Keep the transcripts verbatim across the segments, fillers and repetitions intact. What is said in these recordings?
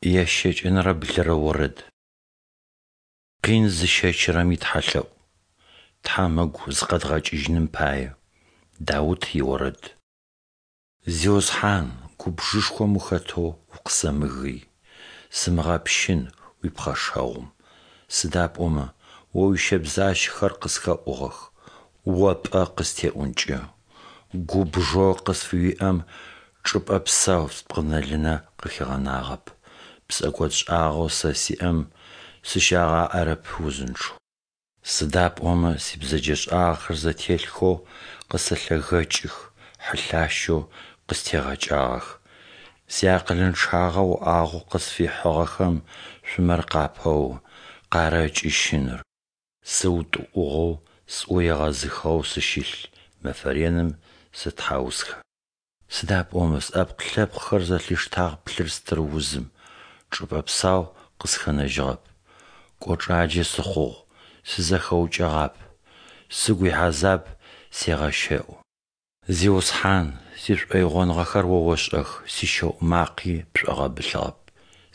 Ящэкӏэнэрэ блырэ орэд. Къин зыщэчырэм итхьалъэӏу. Тхьэм ыгу зыкъэдгъэкӏыжьыным пае. Даут иорэд. Зиусхьан, губжышхом ухэтэу укъысэмыгый, сымыгъэпщын уипхъэшэгъум, сыда пӏомэ О уищэбзащэхэр къысхэӏугъэх, О пӏэ къыстеӏункӏэ. Губжэу къысфыуиӏэм чӏыпӏэ псау спкъынэ-лынэ къыхигъэнагъэп, псэкӏодшӏагъэу сэ сиӏэм сыщагъаӏэрэп узынчъэу. Сыда пӏомэ сибзэджэшӏагъэхэр зэтелъхэу къысэлъэгэкӏых, хьылъащэу къыстегъэкӏагъэх. Сиакъылынчъагъэ уӏагъэу къысфихьыгъэхэм шъумэр къапэо, къарэкӏы щыныр. Сыутӏыӏугъэу, сӏу егъэзыхыгъэу сыщылъ, мэфэ реным сэтхьаусхэ. Сыда пӏомэ сӏэпкъ-лъэпкъхэр зэлъиштагъ плъыр-стыр узым, чӏыпӏэ псау къысхэнэжьыгъэп. Кӏочӏаджэ сыхъугъ, сызэхэукӏэгъап, сыгу ихьазаб сегъэщэӏу. Зиусхьан, сишӏоигъоныгъэхэр О ошӏэх, сищэӏу макъи пшӏогъэбылъыгъэп.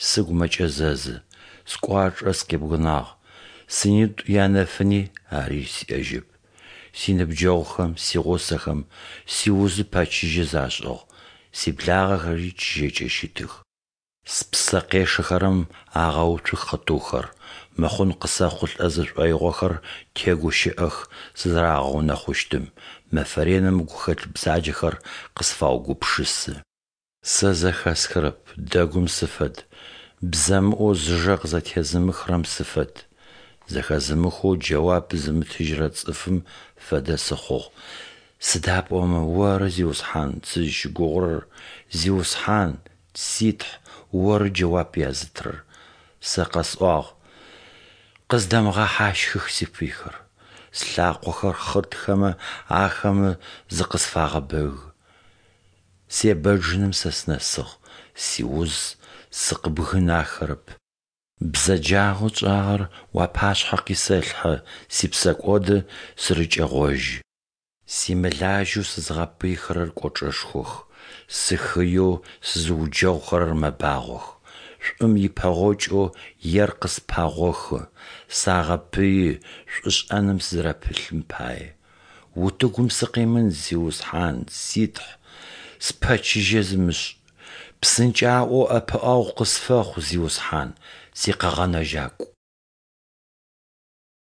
Сыгу мэкӏэзэзы, скӏуачӏэ сыкъибгынагъ, сынитӏу янэфыни ари сиӏэжьэп. Синыбджэгъухэм, сигъусэхэм сиузы пэчыжьэ зашӏыгъ, сиблагъэхэри чыжьэкӏэ щытых. Спсэ къешэхэрэм агъэуцух хъытыухэр, мыхъун къысэхъулӏэ зышӏоигъохэр тегущыӏэх сызэрагъэунэхъущтым, мэфэ реным гухэлъ бзаджэхэр къысфаугупшысы. Сэ зэхэсхырэп, дэгум сыфэд, бзэмыӏоу зыжэ къызэтезымыхырэм сыфэд. Зэхэзымыхэу джэуап зымытыжьырэ цӏыфым фэдэ сыхъугъ. Сыда пӏомэ Оры, Зиусхьан, сызщыгугъырэр, Зиусхьан, си Тхь, Оры джэуап язытырэр. Сэ къэсӏуагъ: Къыздэмыгъэхьащхых сипыйхэр! Слъакъохэр хъыртхэмэ, ахэмэ зыкъысфагъэбэгы. Себэджыным сэ сынэсыгъ, сиуз сыкъыбгынахэрэп. Бзэджагъэу тшӏагъэр уапашъхьэ къисэлъхьэ, сипсэкӏоды сырыкӏэгъожьы. Симылажьэу сызгъэпыйхэрэр кӏочӏэшхох, сыхыеу сызыуджэгъухэрэр мэбагъох. Шӏум ипэгъокӏэу ер къыспагъохы, сагъэпыи шӏушӏэным сызэрэпылъым пае. Утыгум сыкъимын, Зиусхьан, си Тхь, спэчыжьэ зымышӏ! Псынкӏаӏоу ӏэпыӏэгъу къысфэхъу, Зиусхьан, сикъэгъэнэжьакӏу!